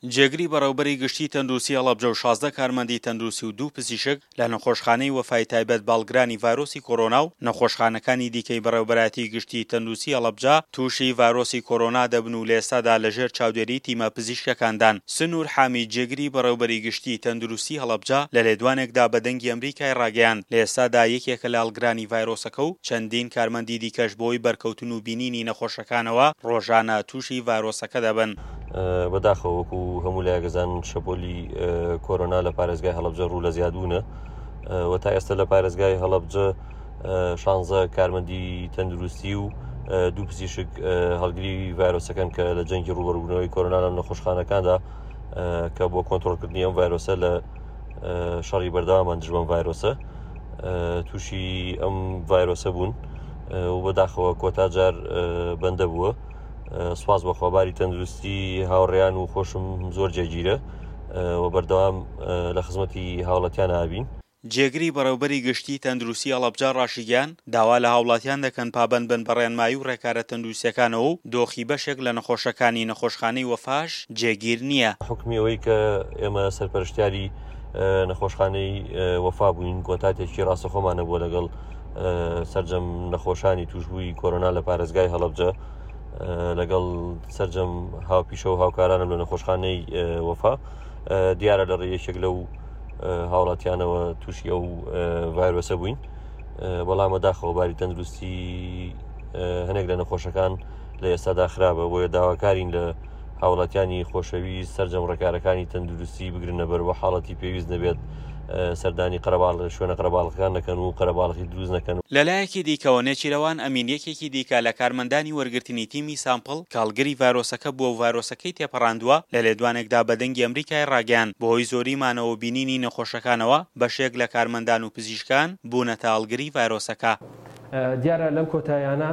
جێگری بەڕێوبەری گشتی تەندروستی هەڵەبجە و 16 کارمەندی تەندروستی و دوو پزیشک لە نەخۆشخانەی وەفای تایبەت بە هەڵگرانی ڤایرۆسی کۆرۆنا و نەخۆشخانەکانی دیکەی بەڕێوبەرایەتی گشتی تەندروستی هەڵەبجە تووشی ڤایرۆسی کۆرۆنا دەبن و لە ئێستادا لەژێر چاودێری تیمە پزیشکەکاندان. سنوور حامید جێگری بەڕێوبەری گشتی تەندروستی هەڵەبجە لە لێدوانێکدا بە دەنگی ئەمریکای ڕاگەیاند لە ئێستادا یەکێکە لە هەڵگرانی ڤایرۆسەکە و چەندین کارمەندی دیکەش بەهۆی بەرکەوتن و بینینی نەخۆشەکانەوە ڕۆژانە تووشی ڤایرۆسەکە دەبن. بەداخەوە وەکو هەموو لایەک ئەزانن شەپۆلی کۆرۆنا لە پارێزگای هەڵەبجە ڕوو لە زیادبوونە و تا ئێستا لە پارێزگای هەڵەبجە شانزە کارمەندی تەندروستی و دوو پزیشک هەڵگری ڤایرۆسەکەن کە لە جەنگی ڕوبەربوونەوەی کۆرۆنا لە نەخۆشخانەکاندا کە بۆ کۆنتترۆلکردنی ئەم ڤایرۆسە لە شەڕی بەردەوامان دژ بەم ڤایرۆسە تووشی ئەم ڤایرۆسە بوون و بەداخەوە کۆتا جار بەندە بووە سواز بەخوا باری تەندروستی هاوڕێیان و خۆشم زۆر جێگیرە و بەردەوام لە خزمەتی هاوڵەتیان ئابین. جێگری بەڕێوبەری گشتی تەندروستی هەڵەبجە ڕاشیگەیاند، داوا لە هاوڵاتیان دەکەن پابەند بن بە ڕێنمایی و ڕێکارە تەندروستیەکانەوە و دۆخی بەشێک لە نەخۆشەکانی نەخۆشخانەی وەفاش جێگیر نییە. حوکمی ئەوەی کە ئێمە سەرپەرشتیاری نەخۆشخانەی وەفا بووین کۆنتاتێکی ڕاستەخۆمان هەبووە لەگەڵ سەرجەم نەخۆشانی تووشبووی کۆرۆنا لە پارێزگای هەڵەبجە لەگەڵ سەرجەم هاوپیشە و هاوکارانم لە نەخۆشخانەی وەفا دیارە لە ڕێ یەکێک لەو هاوڵاتیانەوە تووشی ئەو ڤایرۆسە بووین بەڵام بەداخەوە باری تەندروستی هەنێک لە نەخۆشەکان لە ئێستادا خراپە بۆیە داواکارین لە هاوڵاتیانی خۆشەویست سەرجەم ڕێکارەکانی تەندروستی بگرنە بەر و حاڵەتی پێویست نەبێت سەردانی قەرەباڵ شوێنە قەرەباڵغەکان نەکەن و قەرەباڵغی دروست نەکەن. لەلایەکی دیکەوە نێچیرەوان ئەمین یەکێکی دیکە لە کارمەندانی وەرگرتنی تیمی سامپڵ کە هەڵگری ڤایرۆسەکە بووە و ڤایرۆسەکەی تێپەڕاندووە لە لێدوانێکدا بە دەنگی ئەمریکای ڕاگەیاند بەهۆی زۆری مانەوە و بینینی نەخۆشەکانەوە بەشێک لە کارمەندان و پزیشکان بوونەتە هەڵگری ڤایرۆسەکە. دیارە لەم کۆتاییانە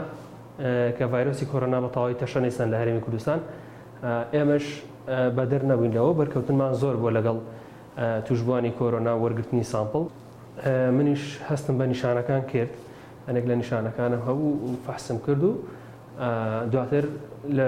کە ڤایرۆسی کۆرۆنا بە تەواوی تەشەنەی سەند لە هەرێمی کوردستان، ئێمەش بەدەر نەبووین لەوە، بەرکەوتنمان زۆر بووە لەگەڵ تووشبووانی کۆرۆنا و وەرگرتنی سامپڵ. منیش هەستم بە نیشانەکان کرد، هەنێک لە نیشانەکانم هەبوو و فەحسم کرد و دواتر لە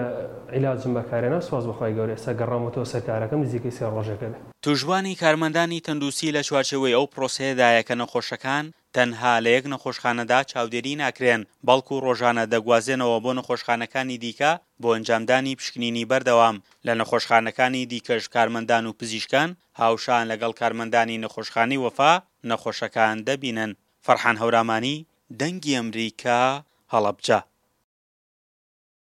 عیلاجم بەکارهێنا، سوپاس بۆ خوای گەورە ئێستا گەڕاومەتەوە سەر کارەکەم نزیکەی سێ ڕۆژێکە بێ. تووشبووانی کارمەندانی تەندروستی لە چوارچێوەی ئەو پرۆسەیەدایە کە نەخۆشەکان تەنها لە یەک نەخۆشخانەدا چاودێری ناکرێن، بەڵکو ڕۆژانە دەگوازرێنەوە بۆ نەخۆشخانەکانی دیکە بۆ ئەنجامدانی پشکنینی بەردەوام، لە نەخۆشخانەکانی دیکەش کارمەندان و پزیشکان هاوشان لەگەڵ کارمەندانی نەخۆشخانەی وەفا نەخۆشەکان دەبینن. فەرحان هەورامانی، دەنگی ئەمریکا، هەڵەبجە.